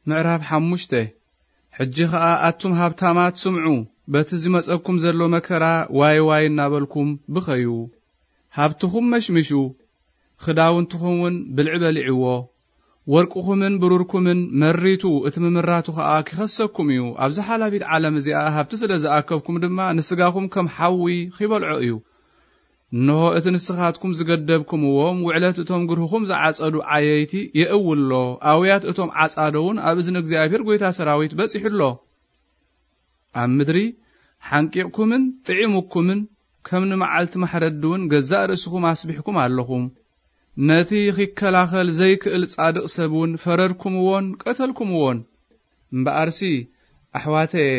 ምዕራፍ ሓሙሽተ። ሕጂ ኸኣ ኣቱም ሃብታማት ስምዑ፣ በቲ ዝመጸኩም ዘሎ መከራ ዋይ ዋይ እናበልኩም ብኸዩ። ሃብትኹም መሽምሹ፣ ክዳውንትኹም እውን ብልዒ በሊዕዎ። ወርቅኹምን ብሩርኩምን መሪቱ፣ እቲ ምምራቱ ኸኣ ኪኸሰኩም እዩ። ኣብዛ ሓላፊት ዓለም እዚኣ ሃብቲ ስለ ዝኣከብኩም ድማ፣ ንስጋኹም ከም ሓዊ ኺበልዖ እዩ። እንሆ፣ እቲ ንስኻትኩም ዝገደብኩምዎም፣ ውዕለት እቶም ግርህኹም ዝዓጸዱ ዓየይቲ የእውሎ። ኣውያት እቶም ዓጻደውን ኣብ እዝኒ እግዚኣብሔር ጐይታ ሰራዊት በጺሑ ኣሎ። ኣብ ምድሪ ሓንቂቕኩምን ጥዒሙኩምን፣ ከም ንመዓልቲ ማሕረዲ እውን ገዛእ ርእስኹም ኣስቢሕኩም ኣለኹም። ነቲ ኺከላኸል ዘይክእል ጻድቕ ሰብ እውን ፈረድኩምዎን ቀተልኩምዎን። እምበኣርሲ፣ ኣሕዋተየ፣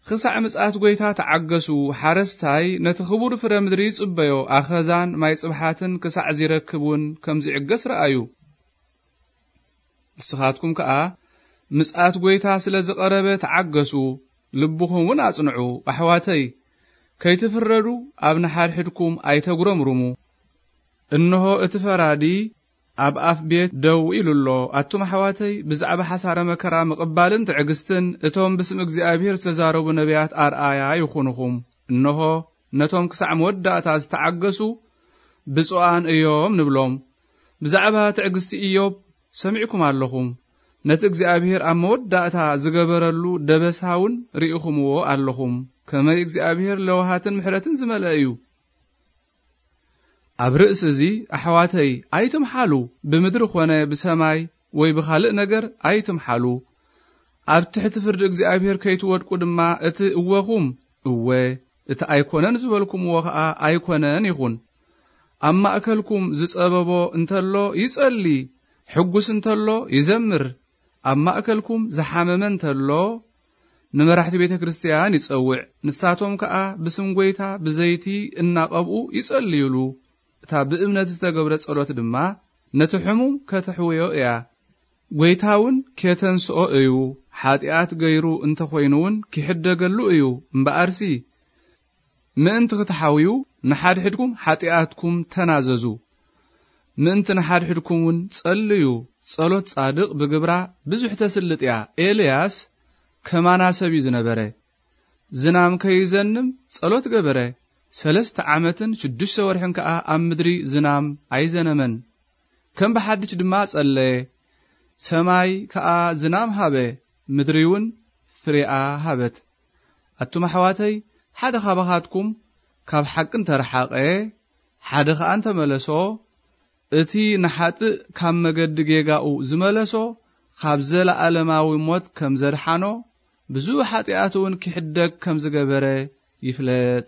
ኽሳዕ ምጽኣት ጐይታ ተዓገሱ። ሓረስታይ ነቲ ኽቡር ፍረ ምድሪ ይጽበዮ፣ ኣኸዛን ማይ ጽብሓትን ክሳዕ ዚረክብ እውን ከም ዚዕገስ ረኣዩ። ንስኻትኩም ከኣ ምጽኣት ጐይታ ስለ ዝቐረበ ተዓገሱ፣ ልብኹም እውን ኣጽንዑ። ኣሕዋተይ፣ ከይትፍረዱ ኣብ ንሓድሕድኩም ኣይተጉረምርሙ። እንሆ እቲ ፈራዲ ኣብ ኣፍ ቤት ደው ኢሉ ኣሎ። ኣቱም ኣሕዋተይ፣ ብዛዕባ ሓሳረ መከራ ምቕባልን ትዕግስትን እቶም ብስም እግዚኣብሔር ዝተዛረቡ ነቢያት ኣርኣያ ይኹንኹም። እንሆ ነቶም ክሳዕ መወዳእታ ዝተዓገሱ ብፁዓን እዮም ንብሎም። ብዛዕባ ትዕግስቲ ኢዮብ ሰሚዕኩም ኣለኹም። ነቲ እግዚኣብሔር ኣብ መወዳእታ ዝገበረሉ ደበሳ እውን ርኢኹምዎ ኣለኹም። ከመይ እግዚኣብሔር ለውሃትን ምሕረትን ዝመልአ እዩ። ኣብ ርእሲ እዚ ኣሕዋተይ ኣይትምሓሉ፣ ብምድሪ ኾነ ብሰማይ ወይ ብኻልእ ነገር ኣይትምሓሉ። ኣብ ትሕቲ ፍርዲ እግዚኣብሔር ከይትወድቁ ድማ እቲ እወኹም እወ፣ እቲ ኣይኮነን ዝበልኩምዎ ኸኣ ኣይኮነን ይኹን። ኣብ ማእከልኩም ዝጸበቦ እንተሎ ይጸሊ፣ ሕጉስ እንተሎ ይዘምር። ኣብ ማእከልኩም ዝሓመመ እንተሎ ንመራሕቲ ቤተ ክርስቲያን ይጸውዕ። ንሳቶም ከኣ ብስም ጐይታ ብዘይቲ እናቐብኡ ይጸልዩሉ። እታ ብእምነት ዝተገብረ ጸሎት ድማ ነቲ ሕሙም ከተሕውዮ እያ። ጐይታ እውን ኬተንስኦ እዩ። ሓጢኣት ገይሩ እንተ ኾይኑ እውን ኪሕደገሉ እዩ። እምበኣርሲ ምእንቲ ክትሓውዩ ንሓድሕድኩም ሓጢኣትኩም ተናዘዙ። ምእንቲ ንሓድሕድኩም እውን ጸልዩ። ጸሎት ጻድቕ ብግብራ ብዙሕ ተስልጥ እያ። ኤልያስ ከማና ሰብ እዩ ዝነበረ። ዝናም ከይዘንም ጸሎት ገበረ። ሰለስተ ዓመትን ሽዱሽተ ወርሕን ከኣ ኣብ ምድሪ ዝናም ኣይዘነመን። ከም ብሓድሽ ድማ ጸለየ። ሰማይ ከኣ ዝናም ሃበ፣ ምድሪ እውን ፍሬኣ ሃበት። ኣቱም ኣሕዋተይ፣ ሓደ ኻባኻትኩም ካብ ሓቂ እንተረሓቐ፣ ሓደ ኸኣ እንተመለሶ፣ እቲ ንሓጥእ ካብ መገዲ ጌጋኡ ዝመለሶ፣ ካብ ዘለኣለማዊ ሞት ከም ዘድሓኖ፣ ብዙሕ ሓጢኣት እውን ኪሕደግ ከም ዝገበረ ይፍለጥ።